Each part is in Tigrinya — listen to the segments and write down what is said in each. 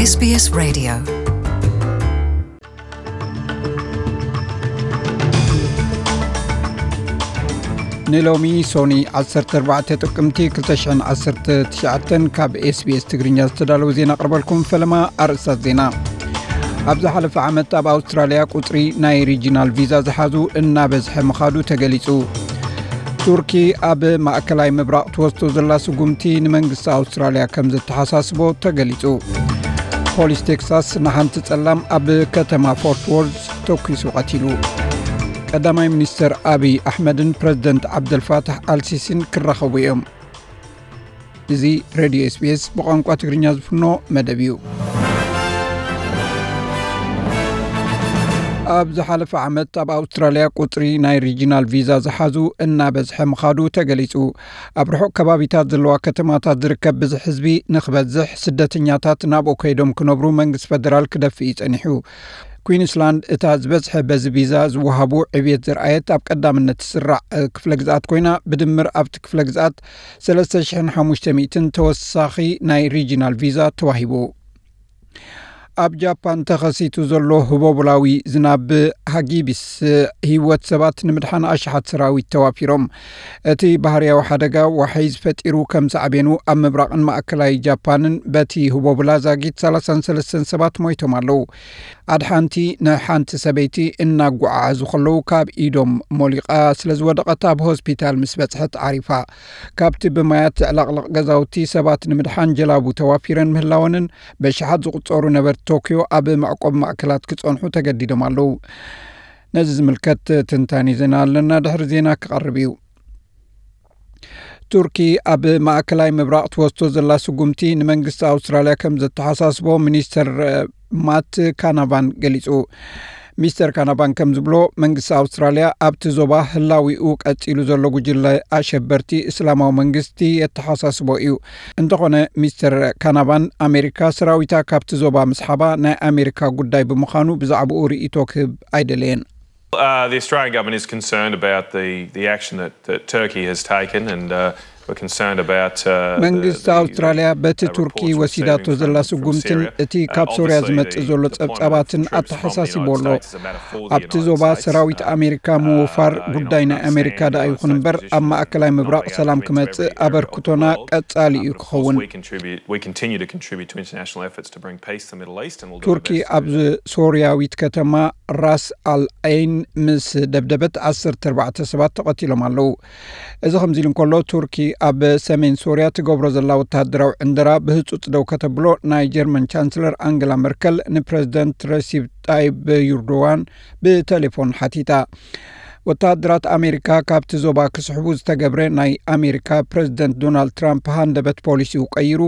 SBS Radio. ንሎሚ ሶኒ ዓሰርተ ኣርባዕተ ጥቅምቲ ክልተ ሽሕን ዓሰርተ ትሽዓተን ካብ SBS ትግርኛ ዝተዳለወ ዜና ኣቕርበልኩም። ፈለማ ኣርእስታት ዜና። ኣብ ዝሓለፈ ዓመት ኣብ ኣውስትራልያ ቁጽሪ ናይ ሪጂናል ቪዛ ዝሓዙ እናበዝሐ ምኻዱ ተገሊጹ። ቱርኪ ኣብ ማእከላይ ምብራቕ ትወስዶ ዘላ ስጉምቲ ንመንግስቲ ኣውስትራልያ ከም ዘተሓሳስቦ ተገሊጹ። ፖሊስ ቴክሳስ ንሓንቲ ጸላም ኣብ ከተማ ፎርት ዎርዝ ተኲሱ ቀቲሉ። ቀዳማይ ሚኒስተር ኣብይ ኣሕመድን ፕረዚደንት ዓብደልፋታሕ ኣልሲሲን ክራኸቡ እዮም። እዚ ሬድዮ SBS ብቋንቋ ትግርኛ ዝፍኖ መደብ እዩ። ኣብ ዝሓለፈ ዓመት ኣብ ኣውስትራልያ ቁጽሪ ናይ ሪጂናል ቪዛ ዝሓዙ እናበዝሐ ምኻዱ ተገሊጹ። ኣብ ርሑቕ ከባቢታት ዘለዋ ከተማታት ዝርከብ ብዝሒ ህዝቢ ንኽበዝሕ፣ ስደተኛታት ናብኡ ከይዶም ክነብሩ መንግስቲ ፈደራል ክደፍእ እዩ ጸኒሑ። ኩዊንስላንድ እታ ዝበዝሐ በዚ ቪዛ ዝወሃቡ ዕብየት ዝረኣየት ኣብ ቀዳምነት ትስራዕ ክፍለ ግዝኣት ኮይና፣ ብድምር ኣብቲ ክፍለ ግዝኣት ሰለስተ ሽሕን ሓሙሽተ ሚእትን ተወሳኺ ናይ ሪጂናል ቪዛ ተዋሂቡ። ኣብ ጃፓን ተኸሲቱ ዘሎ ህቦቡላዊ ዝናብ ሃጊቢስ ህይወት ሰባት ንምድሓን ኣሽሓት ሰራዊት ተዋፊሮም። እቲ ባህርያዊ ሓደጋ ዋሕዚ ፈጢሩ ከም ሳዕቤኑ ኣብ ምብራቕን ማእከላይ ጃፓንን በቲ ህቦቡላ ዛጊት ሰላሳን ሰለስተን ሰባት ሞይቶም ኣለዉ። ኣድሓንቲ ንሓንቲ ሰበይቲ እናጓዓዓዙ ከለዉ ካብ ኢዶም ሞሊቓ ስለ ዝወደቐት ኣብ ሆስፒታል ምስ በጽሐት ዓሪፋ። ካብቲ ብማያት ዝዕለቕለቕ ገዛውቲ ሰባት ንምድሓን ጀላቡ ተዋፊረን ምህላወንን በሽሓት ዝቑጸሩ ነበርቲ ቶክዮ ኣብ መዕቆቢ ማእከላት ክጸንሑ ተገዲዶም ኣለዉ። ነዚ ዝምልከት ትንታኔ ዜና ኣለና፣ ድሕሪ ዜና ክቐርብ እዩ። ቱርኪ ኣብ ማእከላይ ምብራቕ ትወስዶ ዘላ ስጉምቲ ንመንግስቲ ኣውስትራልያ ከም ዘተሓሳስቦ ሚኒስተር ማት ካናቫን ገሊጹ። ሚስተር ካናቫን ከም ዝብሎ፣ መንግስቲ ኣውስትራልያ ኣብቲ ዞባ ህላዊኡ ቀጺሉ ዘሎ ጉጅለ ኣሸበርቲ እስላማዊ መንግስቲ የተሓሳስቦ እዩ። እንተኾነ፣ ሚስተር ካናቫን ኣሜሪካ ሰራዊታ ካብቲ ዞባ ምስሓባ ናይ ኣሜሪካ ጉዳይ ብምዃኑ ብዛዕባኡ ርእይቶ ክህብ ኣይደለየን። Uh, the Australian government is concerned about the, the action that, that Turkey has taken, and uh, we're concerned about uh, the, መንግስቲ the, the, ኣውስትራልያ በቲ uh, ቱርኪ reports we're ወሲዳቶ seeing ዘላ from, from ስጉምትን Syria. እቲ Uh, ካብ ሶርያ obviously, ዝመጽእ the ዘሎ deployment of ጸብጻባትን troops from the ኣተሓሳሲቦ United ኣሎ። States is a matter for the ኣብቲ United ዞባ States. ሰራዊት Uh, ኣሜሪካ uh, ምውፋር I'm ጉዳይ ናይ not አሜሪካ saying ደኣ that ይኹን እምበር፣ the ኣብ ማእከላይ ምብራቅ Turkish ሰላም government ክመጽእ is there. Of አበርክቶና course, ቀጻሊ እዩ of course, ክኸውን። We contribute, we continue to contribute to international efforts to bring peace to the Middle East, and we'll do our ቱርኪ best to ኣብ do that. ሶርያዊት ከተማ ራስ ኣል ዐይን ምስ ደብደበት ዓሰርተ ኣርባዕተ ሰባት ተቐቲሎም ኣለዉ። እዚ ከምዚ ኢሉ እንከሎ፣ ቱርኪ ኣብ ሰሜን ሶርያ ትገብሮ ዘላ ወተሃደራዊ ዕንደራ ብህጹጽ ደው ከተብሎ ናይ ጀርመን ቻንስለር ኣንገላ መርከል ንፕረዚደንት ረሲብ ጣይብ ዩርዶዋን ብቴሌፎን ሓቲታ። ወተሃደራት ኣሜሪካ ካብቲ ዞባ ክስሕቡ ዝተገብረ ናይ ኣሜሪካ ፕረዚደንት ዶናልድ ትራምፕ ሃንደበት ፖሊሲኡ ቀይሩ፣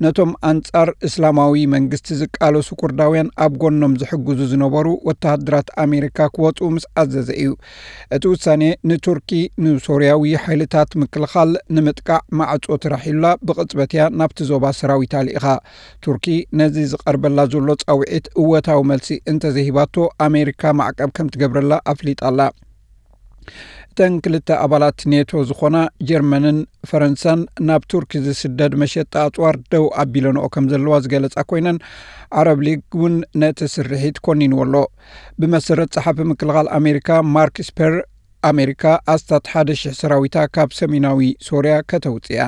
ነቶም ኣንጻር እስላማዊ መንግስቲ ዝቃለሱ ኩርዳውያን ኣብ ጎኖም ዝሕግዙ ዝነበሩ ወተሃደራት ኣሜሪካ ክወጹ ምስ ኣዘዘ እዩ። እቲ ውሳኔ ንቱርኪ ንሶርያዊ ሓይልታት ምክልኻል ንምጥቃዕ ማዕጾ ተራሒሉላ ብቕጽበት እያ ናብቲ ዞባ ሰራዊታ ልኢኻ። ቱርኪ ነዚ ዝቐርበላ ዘሎ ጻውዒት እወታዊ መልሲ እንተዘይሂባቶ ኣሜሪካ ማዕቀብ ከም ትገብረላ ኣፍሊጣ ኣላ። እተን ክልተ ኣባላት ኔቶ ዝኾና ጀርመንን ፈረንሳን ናብ ቱርኪ ዝስደድ መሸጣ ኣጽዋር ደው ኣቢለንኦ ከም ዘለዋ ዝገለጻ ኮይነን፣ ዓረብ ሊግ እውን ነቲ ስርሒት ኮኒንዎ ኣሎ። ብመሰረት ጸሓፊ ምክልኻል ኣሜሪካ ማርክ ስፐር፣ ኣሜሪካ ኣስታት ሓደ ሽሕ ሰራዊታ ካብ ሰሜናዊ ሶርያ ከተውጽእ እያ።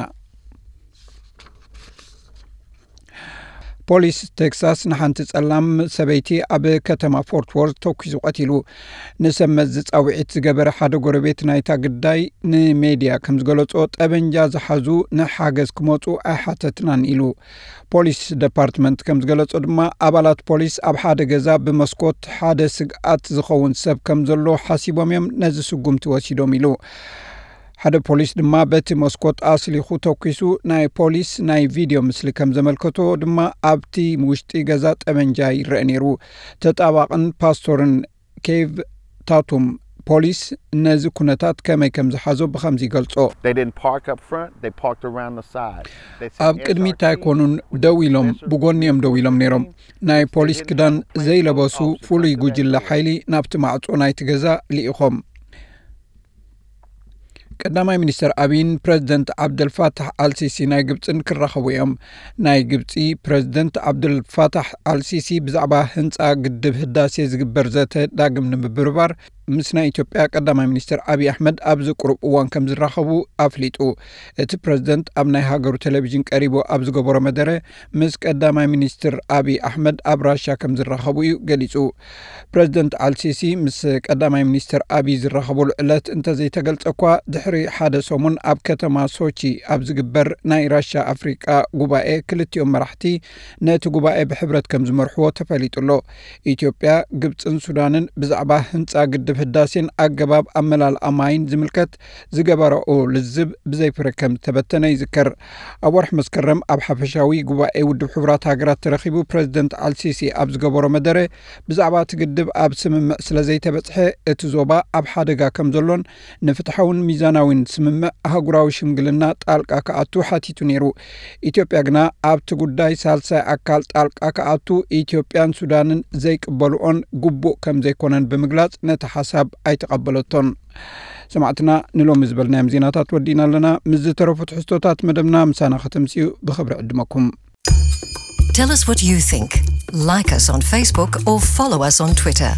ፖሊስ ቴክሳስ ንሓንቲ ጸላም ሰበይቲ ኣብ ከተማ ፎርት ዎርዝ ተኲሱ ቀቲሉ። ንሰብ መዚ ጻውዒት ዝገበረ ሓደ ጎረቤት ናይታ ግዳይ ንሜድያ ከም ዝገለጾ፣ ጠበንጃ ዝሓዙ ንሓገዝ ክመጹ ኣይሓተትናን ኢሉ። ፖሊስ ደፓርትመንት ከም ዝገለጾ ድማ፣ ኣባላት ፖሊስ ኣብ ሓደ ገዛ ብመስኮት ሓደ ስግኣት ዝኸውን ሰብ ከም ዘሎ ሓሲቦም እዮም ነዚ ስጉምቲ ወሲዶም ኢሉ። ሓደ ፖሊስ ድማ በቲ መስኮት ኣስሊኹ ተኲሱ። ናይ ፖሊስ ናይ ቪድዮ ምስሊ ከም ዘመልከቶ ድማ፣ ኣብቲ ውሽጢ ገዛ ጠበንጃ ይረአ ነይሩ። ተጣባቕን ፓስቶርን ኬቭ ታቱም፣ ፖሊስ ነዚ ኩነታት ከመይ ከም ዝሓዞ ብኸምዚ ይገልጾ። They didn't park up front, they parked around the side. They said ኣብ ቅድሚት ኣይኮኑን ደው ኢሎም፣ ብጎኒ እዮም ደው ኢሎም ነይሮም። ናይ ፖሊስ ክዳን ዘይለበሱ ፍሉይ ጉጅለ ሓይሊ ናብቲ ማዕጾ ናይቲ ገዛ ልኢኾም። ቀዳማይ ሚኒስትር ኣቢይን ፕረዚደንት ዓብደልፋታሕ ኣልሲሲ ናይ ግብፅን ክራኸቡ እዮም። ናይ ግብፂ ፕረዚደንት ዓብደልፋታሕ ኣልሲሲ ብዛዕባ ህንፃ ግድብ ህዳሴ ዝግበር ዘተ ዳግም ንምብርባር ምስ ናይ ኢትዮጵያ ቀዳማይ ሚኒስትር ኣቢይ ኣሕመድ ኣብዚ ቁሩብ እዋን ከም ዝራኸቡ ኣፍሊጡ። እቲ ፕረዚደንት ኣብ ናይ ሃገሩ ቴሌቪዥን ቀሪቡ ኣብ ዝገበሮ መደረ፣ ምስ ቀዳማይ ሚኒስትር ኣቢይ ኣሕመድ ኣብ ራሻ ከም ዝራኸቡ እዩ ገሊጹ። ፕረዚደንት ኣልሲሲ ምስ ቀዳማይ ሚኒስትር ኣቢይ ዝራኸቡሉ ዕለት እንተዘይተገልጸ እኳ፣ ድሕሪ ሓደ ሰሙን ኣብ ከተማ ሶቺ ኣብ ዝግበር ናይ ራሻ ኣፍሪቃ ጉባኤ ክልቲኦም መራሕቲ ነቲ ጉባኤ ብሕብረት ከም ዝመርሕዎ ተፈሊጡ ኣሎ። ኢትዮጵያ፣ ግብጽን ሱዳንን ብዛዕባ ህንጻ ግድብ ህዳሴን ኣገባብ ኣመላልኣ ማይን ዝምልከት ዝገበረኦ ልዝብ ብዘይ ፍረ ከም ዝተበተነ ይዝከር። ኣብ ወርሒ መስከረም ኣብ ሓፈሻዊ ጉባኤ ውድብ ሕቡራት ሃገራት ተረኺቡ ፕረዚደንት ኣልሲሲ ኣብ ዝገበሮ መደረ፣ ብዛዕባ እቲ ግድብ ኣብ ስምምዕ ስለ ዘይተበጽሐ እቲ ዞባ ኣብ ሓደጋ ከም ዘሎን ንፍትሓውን ሚዛናዊን ስምምዕ ኣህጉራዊ ሽምግልና ጣልቃ ክኣቱ ሓቲቱ ነይሩ። ኢትዮጵያ ግና ኣብቲ ጉዳይ ሳልሳይ ኣካል ጣልቃ ክኣቱ ኢትዮጵያን ሱዳንን ዘይቅበልኦን ግቡእ ከም ዘይኮነን ብምግላጽ ነቲ ሓሳብ ኣይተቐበለቶን። ሰማዕትና፣ ንሎሚ ዝበልናዮም ዜናታት ወዲእና ኣለና። ምስ ዝተረፉ ትሕዝቶታት መደብና ምሳና ከተምስኡ ብኽብሪ ዕድመኩም። Tell us what you think. Like us on Facebook or follow us on Twitter.